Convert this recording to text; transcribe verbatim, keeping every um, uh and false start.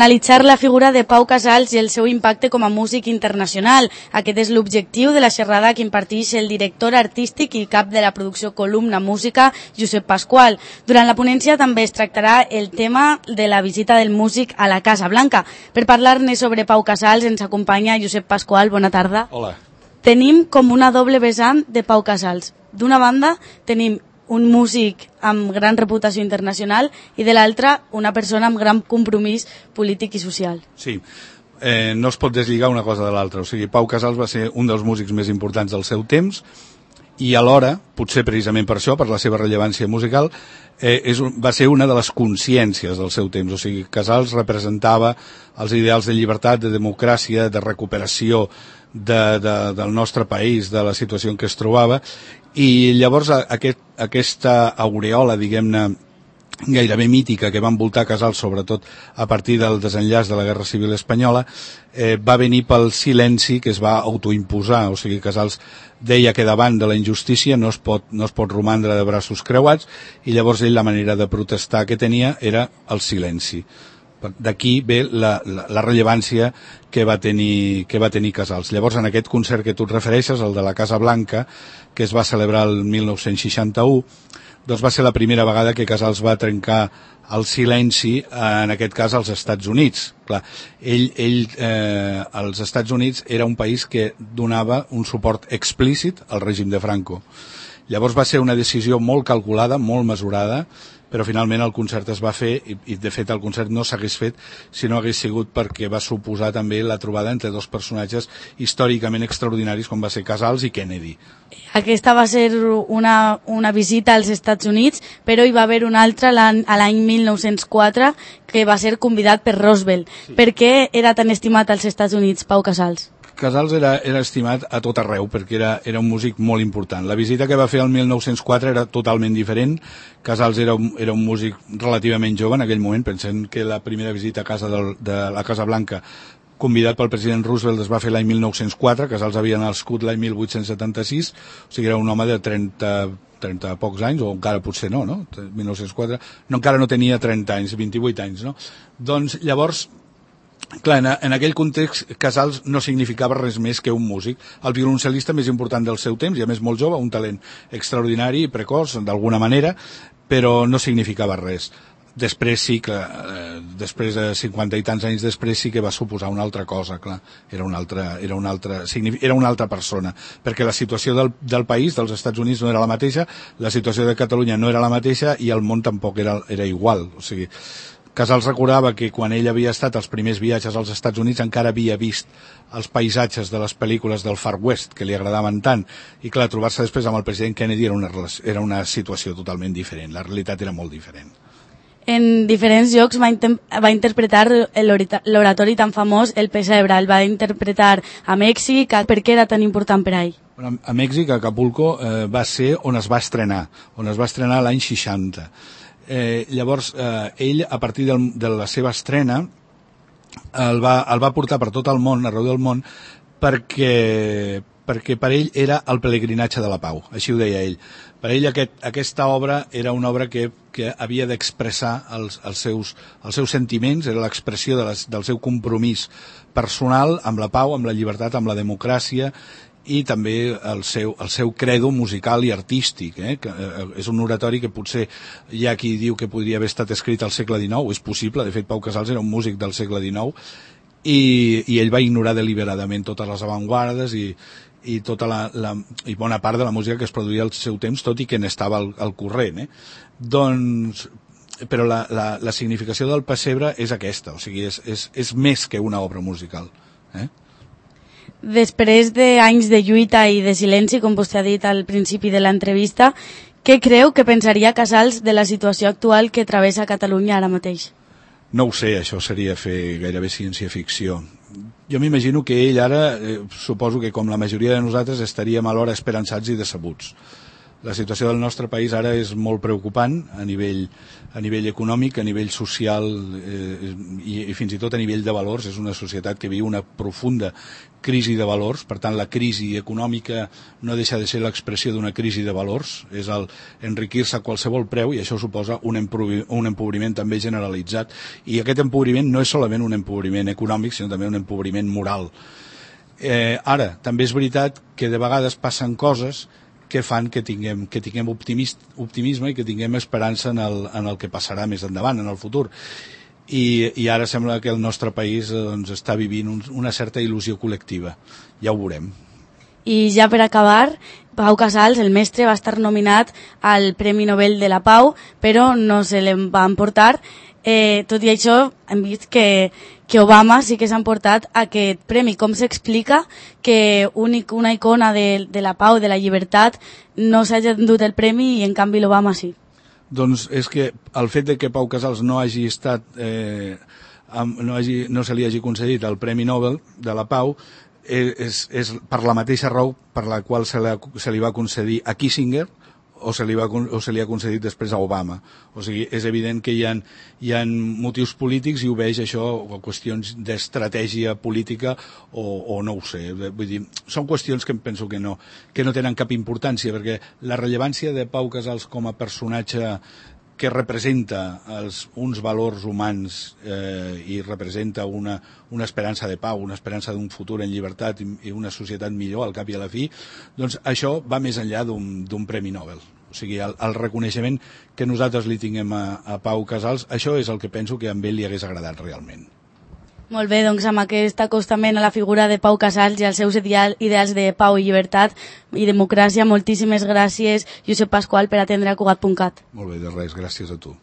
Analitzar la figura de Pau Casals i el seu impacte com a músic internacional. Aquest és l'objectiu de la xerrada que imparteix el director artístic i cap de la producció Columna Música, Josep Pasqual. Durant la ponència també es tractarà el tema de la visita del músic a la Casa Blanca. Per parlar-ne sobre Pau Casals ens acompanya Josep Pasqual. Bona tarda. Hola. Tenim com una doble vessant de Pau Casals. D'una banda tenim un músic amb gran reputació internacional i de l'altra una persona amb gran compromís polític i social. Sí, eh, no es pot deslligar una cosa de l'altra. O sigui, Pau Casals va ser un dels músics més importants del seu temps i alhora, potser precisament per això, per la seva rellevància musical, eh, és un, va ser una de les consciències del seu temps. O sigui, Casals representava els ideals de llibertat, de democràcia, de recuperació de, de, del nostre país, de la situació en què es trobava, i llavors aquest, aquesta aureola, diguem-ne, gairebé mítica que va envoltar Casals, sobretot a partir del desenllaç de la Guerra Civil Espanyola, eh, va venir pel silenci que es va autoimposar. O sigui, Casals deia que davant de la injustícia no es pot, no es pot romandre de braços creuats, i llavors ell la manera de protestar que tenia era el silenci. D'aquí ve la, la, la rellevància que va tenir que va tenir Casals. Llavors, en aquest concert que tu et refereixes, el de la Casa Blanca, que es va celebrar el mil nou-cents seixanta-u, doncs va ser la primera vegada que Casals va trencar el silenci, en aquest cas als Estats Units. Clar, ell, ell eh, als Estats Units era un país que donava un suport explícit al règim de Franco. Llavors va ser una decisió molt calculada, molt mesurada, però finalment el concert es va fer i, i de fet el concert no s'hagués fet si no hagués sigut perquè va suposar també la trobada entre dos personatges històricament extraordinaris com va ser Casals i Kennedy. Aquesta va ser una, una visita als Estats Units, però hi va haver una altra a l'any mil nou-cents quatre que va ser convidat per Roosevelt. Sí. Per què era tan estimat als Estats Units, Pau Casals? Casals era, era estimat a tot arreu perquè era, era un músic molt important. La visita que va fer el mil nou-cents quatre era totalment diferent. Casals era un, era un músic relativament jove en aquell moment, pensem que la primera visita a casa del, de la Casa Blanca convidat pel president Roosevelt es va fer l'any mil nou-cents quatre, Casals havia nascut l'any mil vuit-cents setanta-sis, o sigui era un home de trenta, trenta pocs anys, o encara potser no, no? mil nou-cents quatre, no, encara no tenia trenta anys, vint-i-vuit anys, no? Doncs llavors, clar, en, en aquell context Casals no significava res més que un músic, el violoncel·lista més important del seu temps, i a més molt jove, un talent extraordinari i precoç d'alguna manera, però no significava res. Després sí que, eh, després de cinquanta i tants anys després sí que va suposar una altra cosa, clar, era una altra, era una altra, era una altra persona, perquè la situació del, del país, dels Estats Units no era la mateixa, la situació de Catalunya no era la mateixa i el món tampoc era, era igual, o sigui, Casals recordava que quan ell havia estat als primers viatges als Estats Units encara havia vist els paisatges de les pel·lícules del Far West, que li agradaven tant, i clar, trobar-se després amb el president Kennedy era una, era una situació totalment diferent, la realitat era molt diferent. En diferents llocs va, va interpretar l'oratori tan famós El Pessebre, el va interpretar a Mèxic. Per què era tan important per a ell? A Mèxic, a Acapulco, eh, va ser on es va estrenar, on es va estrenar l'any seixanta. Eh, llavors eh, ell a partir del, de la seva estrena el va, el va portar per tot el món, arreu del món, perquè, perquè per ell era el pelegrinatge de la pau, així ho deia ell. Per ell aquest, aquesta obra era una obra que, que havia d'expressar els, els, seus, els seus sentiments, era l'expressió de les, del seu compromís personal amb la pau, amb la llibertat, amb la democràcia, i també el seu, el seu credo musical i artístic, eh? Que, eh, és un oratori que potser hi ha qui diu que podria haver estat escrit al segle dinou, és possible, de fet Pau Casals era un músic del segle dinou, i, i ell va ignorar deliberadament totes les avantguardes i, i, tota la, la, i bona part de la música que es produïa al seu temps, tot i que n'estava al, al corrent. Eh? Doncs, però la, la, la significació del Pessebre és aquesta, o sigui, és, és, és més que una obra musical. Eh? Després d'anys de lluita i de silenci, com vostè ha dit al principi de l'entrevista, què creu que pensaria Casals de la situació actual que travessa Catalunya ara mateix? No ho sé, això seria fer gairebé ciència-ficció. Jo m'imagino que ell ara, eh, suposo que com la majoria de nosaltres, estaríem alhora esperançats i decebuts. La situació del nostre país ara és molt preocupant a nivell, a nivell econòmic, a nivell social eh, i, i fins i tot a nivell de valors. És una societat que viu una profunda crisi de valors, per tant la crisi econòmica no deixa de ser l'expressió d'una crisi de valors, és el enriquir-se a qualsevol preu, i això suposa un, un empobriment també generalitzat, i aquest empobriment no és solament un empobriment econòmic, sinó també un empobriment moral. Eh, ara, també és veritat que de vegades passen coses que fan que tinguem, que tinguem optimist, optimisme i que tinguem esperança en el, en el que passarà més endavant, en el futur. I, i ara sembla que el nostre país doncs, està vivint un, una certa il·lusió col·lectiva. Ja ho veurem. I ja per acabar, Pau Casals, el mestre, va estar nominat al Premi Nobel de la Pau, però no se l'en va emportar. Eh, tot i això, hem vist que, que Obama sí que s'ha emportat aquest premi. Com s'explica que un, una icona de, de la pau, de la llibertat, no s'hagi endut el premi i en canvi l'Obama sí? Doncs és que el fet de que Pau Casals no hagi estat, eh, no, hagi, no se li hagi concedit el Premi Nobel de la Pau és, és per la mateixa raó per la qual se, la, se li va concedir a Kissinger o se li, va, o se li ha concedit després a Obama. O sigui, és evident que hi ha, hi ha motius polítics i ho veig això, o qüestions d'estratègia política o, o no ho sé. Vull dir, són qüestions que em penso que no, que no tenen cap importància, perquè la rellevància de Pau Casals com a personatge que representa els, uns valors humans eh, i representa una, una esperança de pau, una esperança d'un futur en llibertat i, i una societat millor al cap i a la fi, doncs això va més enllà d'un Premi Nobel. O sigui, el, el reconeixement que nosaltres li tinguem a, a Pau Casals, això és el que penso que a ell li hagués agradat realment. Molt bé, doncs amb aquest acostament a la figura de Pau Casals i als seus ideal, ideals de pau i llibertat i democràcia, moltíssimes gràcies, Josep Pasqual, per atendre a Cugat punt cat. Molt bé, de res, gràcies a tu.